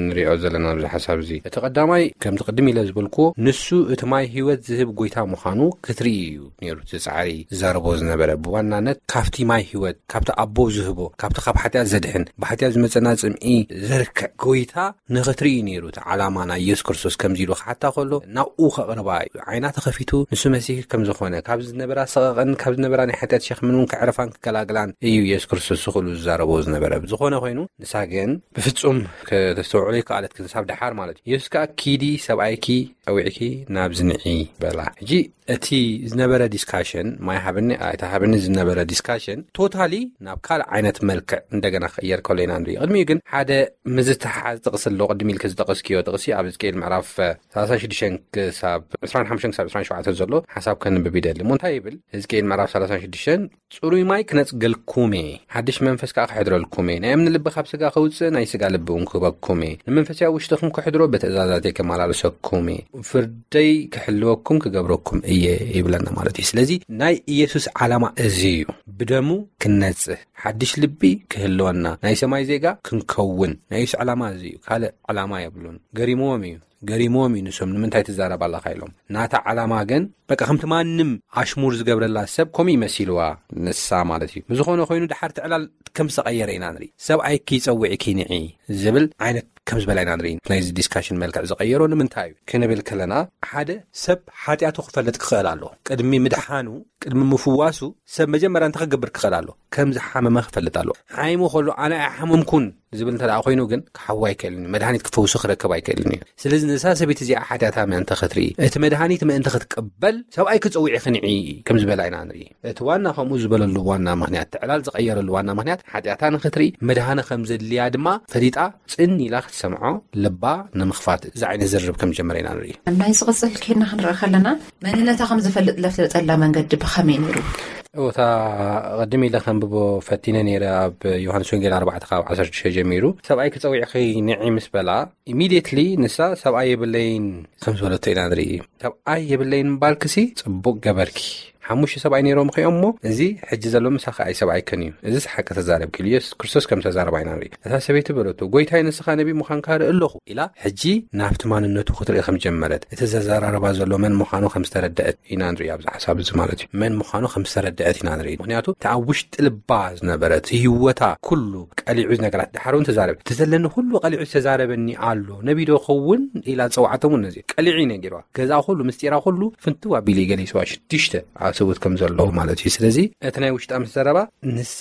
ንሪኦ ዘለና ኣብዚ ሓሳብ እዚ። እቲ ቀዳማይ፣ ከምቲ ቅድም ኢለ ዝበልክዎ፣ ንሱ እቲ ማይ ህይወት ዝህብ ጎይታ ምዃኑ ክትርኢ እዩ ነይሩ እቲ ጻዕሪ ዝዛረቦ ዝነበረ። ብዋናነት ካብቲ ማይ ህይወት፣ ካብቲ ኣቦ ዝህቦ፣ ካብቲ ካብ ሓጢኣት ዘድሕን፣ ብሓጢኣት ዝመጸና ጽምኢ ዘርክዕ ጎይታ ንኽትርኢ እዩ ነይሩ እቲ ዓላማ ናይ የሱስ ክርስቶስ። ከምዚ ኢሉ ክሓታ ከሎ ናብኡ ከቕርባ እዩ። ዓይና ተኸፊቱ ንሱ መሲህ ከም ዝኾነ፣ ካብ ዝነበራ ሰቐቐን ካብ ዝነበራ ናይ ሓጢኣት ሸኽምን እውን ከዕርፋን ክገላግላን እዩ የሱስ ክርስቶስ ስኽእሉ ዝዛረቦ ዝነበረ። ብዝኾነ ኮይኑ ንሳ ግን ብፍጹም ከተስተውዕሎ ይከኣለት፣ ክሳብ ደሓር ማለት እዩ። የሱስ ከኣ "ኪዲ፣ ሰብኣይኪ ጸዊዕኪ ናብዚ ንዒ" በላ። ሕጂ እቲ ዝነበረ ዲስካሽን፣ ማይ ሃብኒ ኣይትሃብኒ ዝነበረ ዲስካሽን ቶታሊ ናብ ካልእ ዓይነት መልክዕ እንደገና ክቕየር ከሎ ኢና ንርኢ። ቅድሚኡ ግን ሓደ ምዝትሓዝ ጥቕሲ ኣሎ። ቅድሚ ኢልኪ ዝጠቐስክዮ ጥቕሲ ኣብ ሕዝቅኤል ምዕራፍ ሰላሳን ሽዱሽተን ክሳብ ዕስራን ሓሙሽተን ክሳብ ዕስራን ሸውዓተን ዘሎ ሓሳብ ከንብብ ይደሊ። እሞ እንታይ ይብል? ሕዝቅኤል ምዕራፍ ሰላሳን ሽዱሽተን "ጽሩይ ማይ ክነጽገልኩም እየ፣ ሓድሽ መንፈስ ከኣ ክሕድረልኩም እየ። ናይ እምኒ ልቢ ካብ ስጋ ከውጽእ፣ ናይ ስጋ ልቢ እውን ክህበኩም እየ። ንመንፈሰይ ኣብ ውሽጥኹም ክሕድሮ፣ ብትእዛዛተይ ከመላለሰኩም እየ። ፍርደይ ክሕልወኩም ክገብረኩም እየ" ይብለና ማለት እዩ። ስለዚ ናይ ኢየሱስ ዓላማ እዚ እዩ። ብደሙ ክንነጽህ፣ ሓድሽ ልቢ ክህልወና፣ ናይ ሰማይ ዜጋ ክንከውን፣ ናይ ኢየሱስ ዓላማ እዚ እዩ። ካልእ ዓላማ የብሉን። ገሪምዎም እዩ። ገሪምዎም እዩ ንሶም፣ "ንምንታይ ትዛረብ ኣለኻ?" ኢሎም። ናታ ዓላማ ግን በቃ ከምቲ ማንም ኣሽሙር ዝገብረላ ሰብ ከምኡ ይመሲልዋ ንሳ ማለት እዩ። ብዝኾነ ኮይኑ ድሓር እቲ ዕላል ከም ዝተቐየረ ኢና ንርኢ። "ሰብኣይኪ ጸዊዕኪ ንዒ" ዝብል ዓይነት ከም ዝበላ ኢና ንርኢ። ናይዚ ዲስካሽን መልክዕ ዝቐየሮ ንምንታይ እዩ ክንብል ከለና፣ ሓደ ሰብ ሓጢኣቱ ክፈልጥ ክኽእል ኣሎ። ቅድሚ ምድሓኑ፣ ቅድሚ ምፍዋሱ ሰብ መጀመርያ እንታይ ክገብር ክኽእል ኣሎ? ከም ዝሓመመ ክፈልጥ ኣሎ። ሓይሙ ከሎ "ኣነ ኣይሓመምኩን" ዝብል እንተ ደኣ ኮይኑ ግን ክሓዊ ኣይክእልን እዩ። መድሃኒት ክፈውሱ ክረክብ ኣይክእልን እዩ። ስለዚ ነዛ ሰበይቲ እዚኣ ሓጢኣታ ምእንቲ ክትርኢ፣ እቲ መድሃኒት ምእንቲ ክትቅበል ሰብኣይኪ ጸዊዕኪ ንዒ ከም ዝበላ ኢና ንርኢ። እቲ ዋና ከምኡ ዝበለሉ ዋና ምኽንያት፣ እቲ ዕላል ዝቐየረሉ ዋና ምኽንያት ሓጢኣታ ንኽትርኢ መድሃኒ ከም ዘድልያ ድማ ፈሊጣ ጽን ኢላ ክትሰምዖ ልባ ንምኽፋት እዚ ዓይነት ዝርርብ ከም ጀመረ ኢና ንርኢ። ናይ ዝቕጽል ኬድና ክንርኢ ከለና መንነታ ከም ዝፈልጥ ለፍለጠላ መንገዲ ብኸመይ ነይሩ? እታ ቅድም ኢለ ከንብቦ ፈቲነ ነይረ ኣብ ዮሃንስ ወንጌል ኣርባዕተ ካብ ዓሰርተ ሽዱሽተ ጀሚሩ ሰብኣይ ክጸዊዕኺ ንዒ ምስ በላ ኢሚድየትሊ ንሳ ሰብኣይ የብለይን ከም ዝበለቶ ኢና ንርኢ። ሰብኣይ የብለይን ምባልክሲ ጽቡቕ ገበርኪ። ሓሙሽተ ሰብኣይ ነይሮም ኸ እሞ እዚ ሕጂ ዘሎ ምሳኺ ኣይሰብኣይክን እዩ። እዚ ሓቂ ተዛረብኪ ኢሉ የሱስ ክርስቶስ ከም ተዛረባ ኢና ንርኢ። እታ ሰበይቲ በለቶ፣ "ጎይታይ ንስኻ ነቢ ምዃንካ ርኢ ኣለኹ" ኢላ ሕጂ ናብቲ ማንነቱ ክትርኢ ከም ጀመረት፣ እቲ ዘዘራርባ ዘሎ መን ምዃኑ ከም ዝተረደአት ኢና ንርኢ። ኣብዚ ሓሳብ እዚ ማለት እዩ መን ምዃኑ ከም ዝተረደአት ኢና ንርኢ። ምኽንያቱ እቲ ኣብ ውሽጢ ልባ ዝነበረ እቲ ህይወታ ኩሉ ቀሊዑ ነገራት ድሓር እውን ተዛረበ። እቲ ዘለኒ ኩሉ ቀሊዑ ዝተዛረበኒ ኣሎ፣ ነቢ ዶ ኸውን ኢላ ዝጸውዓቶም እውን ነዚ ቀሊዑ እዩ ነጊርዋ። ገዛ ኩሉ ምስጢራ ኩሉ ፍንትው ኣቢሉ እዩ ገሊጽዋ። ሽዱሽተ ኣሰብኡት ከም ዘለዉ ማለት እዩ። ስለዚ እቲ ናይ ውሽጣ ምስ ዘረባ ንሳ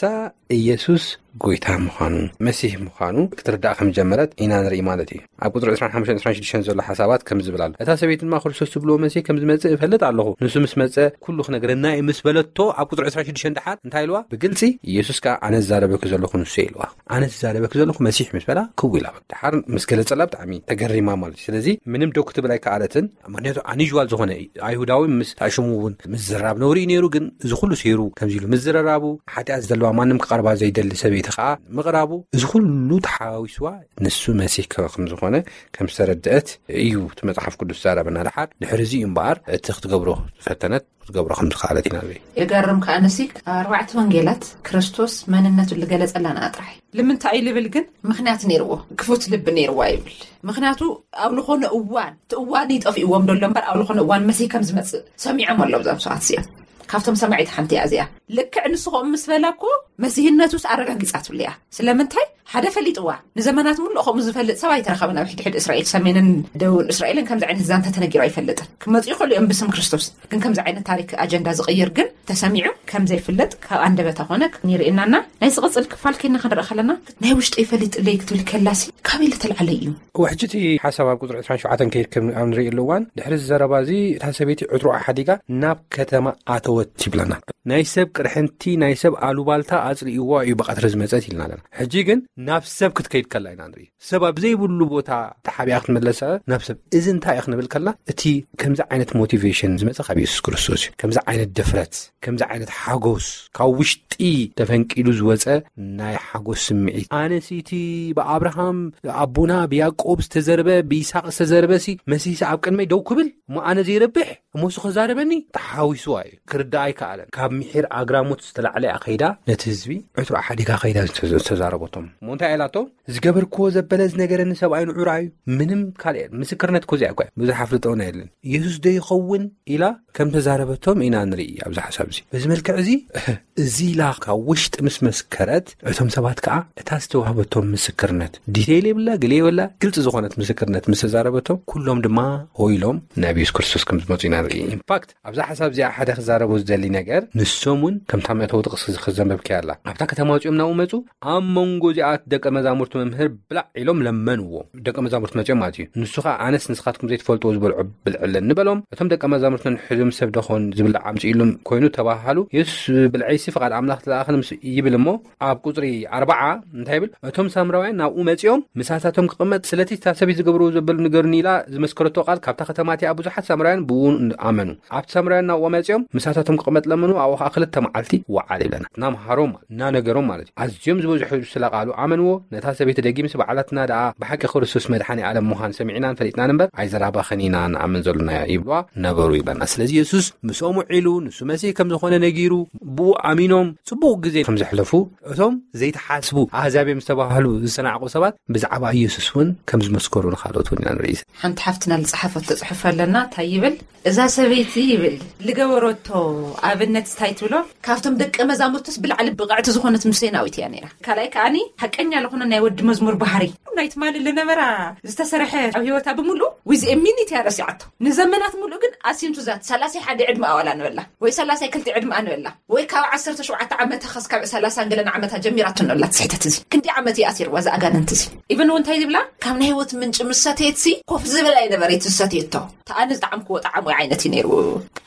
ኢየሱስ ጎይታ ምዃኑ፣ መሲህ ምዃኑ ክትርዳእ ከም ጀመረት ኢና ንርኢ ማለት እዩ። ኣብ ቁጽሪ ዕስራን ሓሙሽተን ዕስራን ሽዱሽተን ዘሎ ሓሳባት ከም ዝብል ኣሎ። እታ ሰበይቲ ድማ ክርስቶስ ትብልዎ መሲህ ከም ዝመጽእ እፈልጥ ኣለኹ። ንሱ ምስ መጸ ኩሉ ክነግረና እዩ ምስ በለቶ ኣብ ቁጽሪ ዕስራን ሽዱሽተን ደሓር እንታይ ኢልዋ? ብግልጺ ኢየሱስ ከኣ ኣነ ዝዛረበኪ ዘለኹ ንሱ እዩ ኢልዋ። ኣነ ዝዛረበኪ ዘለኹ መሲሕ ምስ በላ ክው ኢላ። ደሓር ምስ ገለጸላ ብጣዕሚ ተገሪማ ማለት እዩ። ስለዚ ምንም ደው ክትብል ኣይከኣለትን። ምኽንያቱ ኣኒዥዋል ዝኾነ እዩ። ኣይሁዳዊ ምስ ኣሽሙ እውን ምዝራብ ነውሪ እዩ ነይሩ፣ ግን እዚ ኩሉ ሰይሩ ከምዚ ኢሉ ምዝረራቡ፣ ሓጢኣት ዘለዋ ማንም ክቐርባ ዘይደሊ ሰበይቲ ከዓ ምቕራቡ፣ እዚ ኩሉ ተሓዋዊስዋ ንሱ መሲህ ከ-፣ ከም ዝኾነ ከም ዝተረድአት እዩ እቲ መጽሓፍ ቅዱስ ዛረበና። ደሓር ድሕሪ እዚ እዩ እምበኣር እቲ ክትገብሮ ዝፈተነት ክትገብሮ ከም ዝኸኣለት ኢና ንርኢ። የገርም ከኣ ንሲ ኣርባዕተ ወንጌላት ክርስቶስ መንነቱ ዝገለጸላና ጥራሕ እዩ። ልምንታይ እዩ ልብል ግን ምኽንያት ነይርዎ፣ ክፉት ልቢ ነይርዋ ይብል። ምኽንያቱ ኣብ ዝኾነ እዋን፣ እቲ እዋን ይጠፍእዎም ደሎ እምበር ኣብ ዝኾነ እዋን መሲህ ከም ዝመጽእ ሰሚዖም ኣለዉ እዞም ሰባት እዚኦም። ካብቶም ሰማዒት ሓንቲ እያ እዚኣ። ልክዕ ንሱ ከምኡ ምስ በላ እኮ መሲህነቱስ ኣረጋጊጻትሉ እያ። ስለምንታይ? ሓደ ፈሊጥዋ። ንዘመናት ሙሉእ ከምኡ ዝፈልጥ ሰብ ኣይተረኸበን። ኣብ ሕድሕድ እስራኤል፣ ሰሜንን ደቡብን እስራኤልን ከምዚ ዓይነት ዛንታ ተነጊሩ ኣይፈልጥን። ክመፁ ይኽእሉ እዮም ብስም ክርስቶስ፣ ግን ከምዚ ዓይነት ታሪክ ኣጀንዳ ዝቕይር ግን ተሰሚዑ ከም ዘይፍለጥ ካብ ኣንደበታ ኮነ ንርእየናና። ናይ ዝቕፅል ክፋል ከይና ክንርኢ ከለና፣ ናይ ውሽጠይ ፈሊጥለይ ክትብል ከላሲ ካበይ ለተልዓለ እዩ? ውሕጅቲ ሓሳብ ኣብ ቁፅሪ ዕስራን ሸውዓተን ከይድ ከም ኣብ ንርእየሉ እዋን፣ ድሕሪ እዚ ዘረባ እዚ እታ ሰበይቲ ዕትሮኣ ሓዲጋ ናብ ከተማ ኣተወት ይብለና። ናይ ሰብ ቅርሕንቲ፣ ናይ ሰብ ኣሉባልታ ኣጽሊእዎ እዩ ብቐትሪ ዝመጸት ኢልና ኣለና። ሕጂ ግን ናብ ሰብ ክትከይድ ከላ ኢና ንርኢ። ሰብ ኣብ ዘይብሉ ቦታ ተሓቢኣ ክትምለሰ ናብ ሰብ። እዚ እንታይ እዩ ክንብል ከላ፣ እቲ ከምዚ ዓይነት ሞቲቬሽን ዝመጸ ካብ የሱስ ክርስቶስ እዩ። ከምዚ ዓይነት ድፍረት፣ ከምዚ ዓይነት ሓጎስ፣ ካብ ውሽጢ ተፈንቂሉ ዝወጸ ናይ ሓጎስ ስምዒት። ኣነሲ እቲ ብኣብርሃም ኣቦና ብያዕቆብ ዝተዘርበ፣ ብይስሐቅ ዝተዘርበ ሲ መሲሲ ኣብ ቅድመይ ደው ክብል እሞ ኣነ ዘይረብሕ እሞ እሱ ከዛረበኒ ተሓዊስዋ እዩ። ክርዳኣ ኣይከኣለን። ካብ ምሒር ኣግራሞት ዝተላዕለ እያ ከይዳ ነቲ ህዝቢ ዕትሮ ሓዲጋ ከይዳ ዝተዘ-፣ ዝተዛረበቶም። እሞ እንታይ ኢላቶም? ዝገበርክዎ ዘበለ ዝነገረኒ ሰብኣይ ንዑራ እዩ። ምንም ካልእ የለን። ምስክርነት እኮ እዚኣ እኮ እያ። ብዙሕ ኣፍልጦና የለን። ኢየሱስ ዶ ይኸውን? ኢላ ከም ተዛረበቶም ኢና ንርኢ ኣብዚ ሓሳብ እዚ። በዚ መልክዕ እዚ፣ እዚ ኢላ ካብ ውሽጢ ምስ መስከረት፣ እቶም ሰባት ከኣ እታ ዝተዋህበቶም ምስክርነት፣ ዲቴይል የብላ፣ ገለ የብላ፣ ግልጺ ዝኾነት ምስክርነት ምስ ተዛረበቶም፣ ኩሎም ድማ ሆ ኢሎም ናብ የሱስ ክርስቶስ ከም ዝመጹ ኢና ንርኢ። ኢንፋክት፣ ኣብዛ ሓሳብ እዚኣ ሓደ ክዛረቦ ዝደሊ ነገር፣ ንሶም እውን ከምታ መእተዊ ጥቕሲ እዚ ክዘንበብክያ ኣላ። ኣብታ ከተማ ወጺኦም ናብኡ መጹ፣ ኣብ መንጎ እዚኣ ደቀ መዛሙርቱ መምህር ብላዕ ኢሎም ለመንዎ። ደቀ መዛሙርቱ መጺኦም ማለት እዩ። ንሱ ኸኣ ኣነስ ንስኻትኩም ዘይትፈልጥዎ ዝበልዖ ብልዒ ኣለኒ በሎም። እቶም ደቀ መዛሙርቱ ንሕድም ሰብ ደኾን ዝብላዕ ኣምጽእሉም ኮይኑ ተባሃሉ። የሱስ ብልዐይሲ ፍቓድ ኣምላኽ ተለኣኸኒ ምስ ይብል እሞ ኣብ ቁጽሪ ኣርባዓ እንታይ ይብል? እቶም ሳምራውያን ናብኡ መጺኦም ምሳታቶም ክቕመጥ ስለቲ እታ ሰበይቲ ዝገብርዎ ዘበሉ ንገሩኒ ኢላ ዝመስከረቶ ቃል ካብታ ከተማ እቲኣ ብዙሓት ሳምራውያን ብኡ ኣመኑ። ኣብቲ ሳምራውያን ናብኡ መጺኦም ምሳታቶም ክቕመጥ ለመኑ፣ ኣብኡ ኸኣ ክልተ መዓልቲ ወዓለ ይብለና። እናምሃሮም እናነገሮም ማለት እዩ። ኣዝዮም ዝበዝሑ ስለ ቃሉ ኣመንዎ። ነታ ሰበይቲ ደጊምሲ ባዕላትና ደኣ ብሓቂ ክርስቶስ መድሓኒ ዓለም ምዃን ሰሚዕናን ፈሊጥናን እምበር ኣይዘራባኽን ኢና ንኣምን ዘሎና ይብልዋ ነበሩ ይብለና። ስለዚ የሱስ ምስኦም ውዒሉ ንሱ መሲህ ከም ዝኾነ ነጊሩ ብኡ ኣሚኖም ጽቡቕ ግዜ ከም ዘሕለፉ እቶም ዘይተሓስቡ ኣህዛብ እዮም ዝተባህሉ ዝተናዕቁ ሰባት ብዛዕባ ኢየሱስ እውን ከም ዝመስከሩ ንኻልኦት እውን ኢና ንርኢ። ሓንቲ ሓፍትና ዝጸሓፈቶ ጽሑፍ ኣለና። እንታይ ይብል? እዛ ሰበይቲ ይብል ልገበረቶ ኣብነት ስታይ ትብሎ ካብቶም ደቀ መዛሙርቱስ ብላዕሊ ብቕዕቲ ዝኾነት ምሴናዊት እያ ነይራ። ካልኣይ ከኣኒ ሓቀኛ ዝኾነ ናይ ወዲ መዝሙር ባህሪ ናይ ትማሊ ልነበራ ዝተሰርሐ ኣብ ህይወታ ብምሉእ ዊዝ ሚኒት እያ ረሲዓቶ። ንዘመናት ሙሉእ ግን ኣሲምቱ ዛት ሰላሳ ሓደ ዕድመ ኣዋላ ንበላ ወይ ሰላሳ ክልተ ዕድመ ኣንበላ ወይ ካብ ዓሰርተ ሸውዓተ ዓመታ ኸስካብ ሰላሳ ገለን ዓመታ ጀሚራቶ ንበላ ትስሕተት እዚ ክንዲ ዓመት እያ ኣሲርዋ እዚ ኣጋንንቲ እዚ። ኢቨን እውን እንታይ ዝብላ ካብ ናይ ህይወት ምንጭ ምሰተየትሲ ኮፍ ዝብል ኣይነበረ ትሰትየቶ። ተኣነ ዝጠዓምክዎ ጣዕሙ ዓይነት እዩ ነይሩ።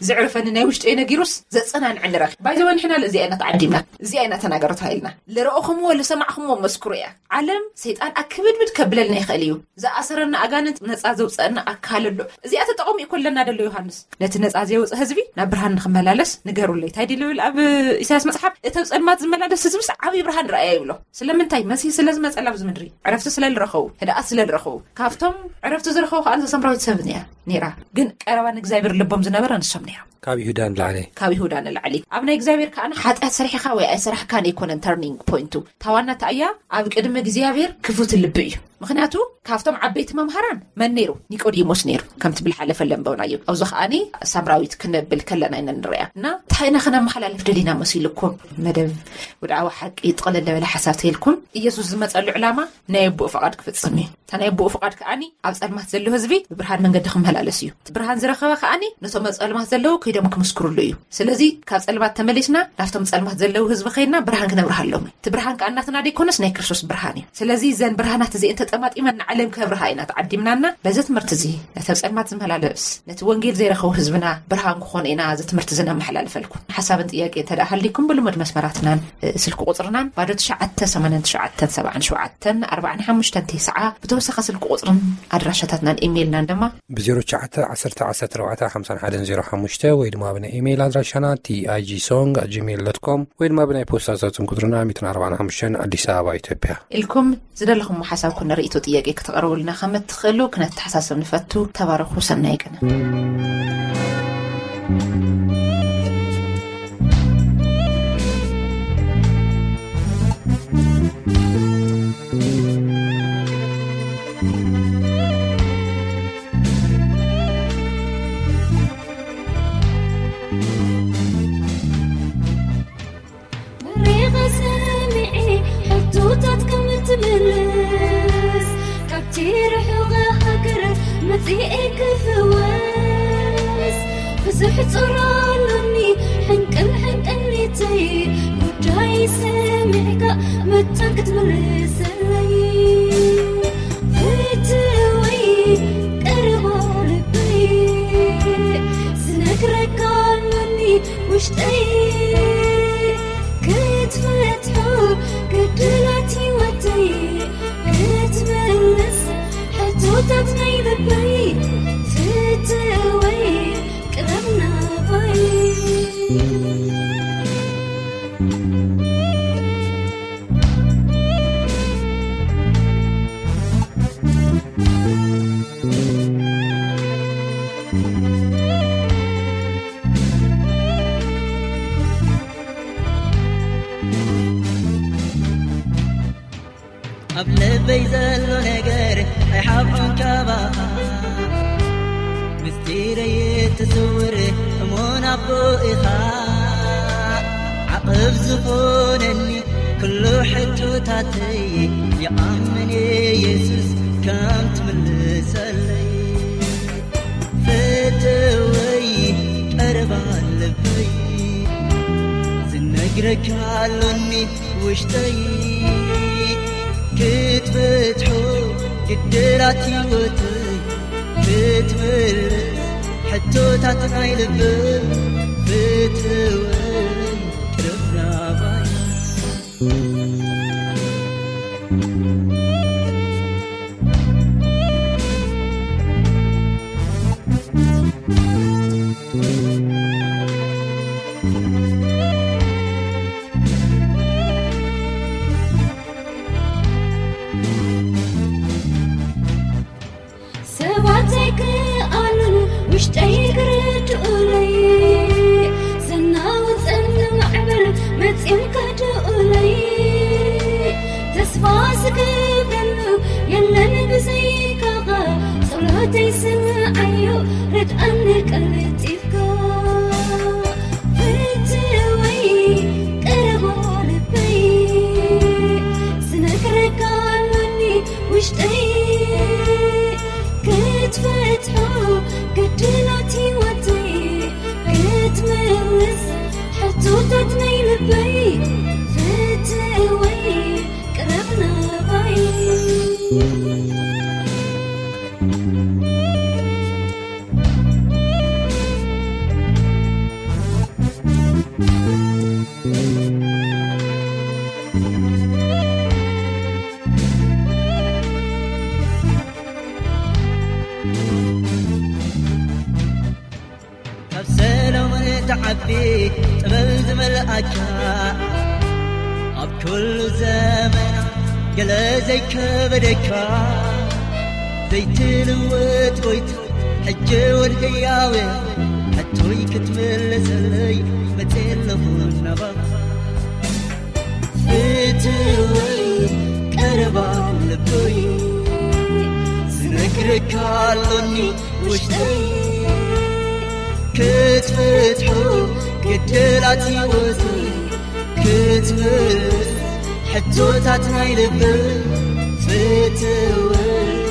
ዝዕርፈኒ ናይ ውሽጢ ነጊሩስ ዘጸናንዐኒ ረኺ ባይዘወ ንሕና እዚኣ ኢና ተዓዲምና እዚኣ ኢና ተናገሩ ተባሂልና። ልረእኹምዎ ልሰማዕኹምዎ መስክሩ እያ። ዓለም ሰይጣን ኣክብድብድ ከብለልና ይኽእል እዩ። ዝኣሰረና ኣጋንንት ነጻ ዘውፀአና ኣካል ኣሎ። እዚኣ ተጠቐሙ እዩ ኮለና ደሎ ዮሃንስ ነቲ ነጻ ዘየውፀ ህዝቢ ናብ ብርሃን ንክመላለስ ንገሩለይ እንታይ ድልብል ኣብ ኢሳያስ መፅሓፍ እተብ ፀልማት ዝመላለስ ህዝብስ ዓብዪ ብርሃን ረኣያ ይብሎ። ስለምንታይ መሲህ ስለ ዝመፀላ ኣብዚ ምድሪ ዕረፍቲ ስለ ዝረኸቡ ህድኣት ስለ ዝረኸቡ ካብቶም ዕረፍቲ ዝረኸቡ ከዓ ንሰምራዊት ሰብ እያ ነይራ። ግን ቀረባ ንእግዚኣብሔር ልቦም ዝነበረ ንሶም ነይሮም። ካብ ይሁዳ ንላዕሊ። ካብ ይሁዳ ንላዕሊ ኣብ ናይ እግዚኣብሔር ከዓ ሓጢኣት ሰሪሕኻ ወይ ኣይሰራሕካን ኣይኮነን ተርኒንግ ፖይንቱ። ታዋናታ እያ ኣብ ቅድሚ እግዚኣብሔር ክፉት ልቢ እዩ። ምክንያቱ ካብቶም ዓበይቲ መምሃራን መን ነይሩ? ኒቆዲሞስ ነይሩ። ከምቲ ብልሓለፈ ለንበውናዮ ኣብዚ ከዓኒ ሳምራዊት ክንብል ከለና ኢና ንሪኣ እና እንታይ ኢና ክነመሓላልፍ ደሊና መሲልኩም? መደብ ውድዓዊ ሓቂ ጥቕልል ለበለ ሓሳብ ተይልኩም ኢየሱስ ዝመፀሉ ዕላማ ናይ ኣቦኡ ፍቓድ ክፍፅም እዩ። እታ ናይ ኣቦኡ ፍቓድ ከዓኒ ኣብ ፀልማት ዘሎ ህዝቢ ብብርሃን መንገዲ ክመላለስ እዩ። እቲ ብርሃን ዝረኸበ ከዓኒ ነቶም ኣብ ፀልማት ዘለዉ ከይዶም ክምስክሩሉ እዩ። ስለዚ ካብ ፀልማት ተመሊስና ናብቶም ፀልማት ዘለዉ ህዝቢ ከይድና ብርሃን ክነብርሃሎም እዩ። እቲ ብርሃን ከኣ እናትና ደይኮነስ ናይ ክርስቶስ ብርሃን እዩ። ስለዚ እዘን ብርሃናት እዚአን ተጠማጢመን ንዓለም ከብርሃ ኢና ተዓዲምናና። በዚ ትምህርቲ እዚ ነቲ ኣብ ፀልማት ዝመላለስ ነቲ ወንጌል ዘይረኸቡ ህዝብና ብርሃን ክኾኑ ኢና እዚ ትምህርቲ እዚ ነመሓላልፈልኩም። ሓሳብን ጥያቄ እንተ ደኣ ሃሊኩም ብልሙድ መስመራትናን ስልኪ ቁፅርናን ባዶ ትሽዓተ ሰማንያን ትሽዓተን ሰብዓን ሸውዓተን ኣርባዓን ሓሙሽተን ተስዓ ብተወሳኺ ስልኪ ቁፅርን ኣድራሻታትናን ኢሜይልናን ድማ ብ ዜሮ ትሽዓተ ዓሰርተ ዓሰርተ ኣርባዕተ ሓምሳን ሓደን ዜሮ ሓሙሽተ ወይ ድማ ብናይ ኢሜይል ኣድራሻና ቲ ኣይ ጂ ሶንግ ኣት ጂሜይል ዶት ኮም ወይ ድማ ብናይ ፖስታ ሳጥን ቁፅርና ሚእትን ኣርባዓን ሓሙሽተን ኣዲስ ኣበባ ኢትዮጵያ ኢልኩም ዝደለኹም ሓሳብኩም ንርእይቶ ጥያቄ ክተቕርቡልና ከም እትኽእሉ ክነተሓሳስብ ንፈቱ። ተባረኹ። ሰናይ ቅነ። ብሬኻ ሰሚዐ ሕቶታት ከም እትምልስ እዚኤ ክፍወስ ብዙሕ ጾር ኣሎኒ፣ ሕንቅል ሕንቅሊተይ ጉዳይ ሰሚዕካ መታን ክትምልሰለይ። ፍትወይ ቀረባ ልበይ ዝነግረካ ኣሎኒ ውሽጠይ ክትፈትሖ ግድላት ህይወተይ ክትምልስ ሕቶታት ናይ ልበይ ፍትወይ ቅረብ ናባይ። ኣብ ልበይ ዘሎ ነገር ኣይሓብኦን ካባኻ ምስጢረይ ትስውር እሙን ኣቦ ኢኻ ዓቕብ ዝኾነኒ ኩሉ ሕቶታተይ ይኣምን የሱስ ከም ትምልሰለይ ፍትወይ ቀረባ ልበይ ዝነግረካ ኣሎኒ ውሽጠይ ክትፈትሖ ግድላት ህይወተይ ክትምልስ ሕቶታት ናይ ልበይ ፍትወይ ቅረብ ናባይ። ሰባት ኣይክኣሉን ውሽጠይ ክርድኡለይ ዘናውፀኒ ማዕበል መፅዮም ከድኡለይ ተስፋ ዝገብረሉ የለን ብዘይካኻ ጸሎተይ ስምዓዮ ርድኣኒ ቀልጢፍካ ፍትወይ ቀረባ ልበይ ዝነግረካ ኣሎኒ ውሽጠይ ክትፈትሖ ግድላት ህይወተይ ክትምልስ ሕቶታት ናይ ልበይ ፍትወይ ቅረብ ናባይ። ካብ ሰሎሞን ትዓቢ ጥበብ ዝመልኣካ ኣብ ኩሉ ዘመና ገለ ዘይከበደካ ዘይትልወጥ ጎይታ ሕጂ እውን ህያው ሕቶይ ክትምልሰለይ መፅእ ኣለኹ ናባኻ ፍትወይ ቀረባ ልበይ ዝነግረካ ኣሎኒ ውሽጠይ ክትፈትሖ ግድላት ህይወተይ ክትምልስ ሕቶታት ናይ ልበይ ፍትወይ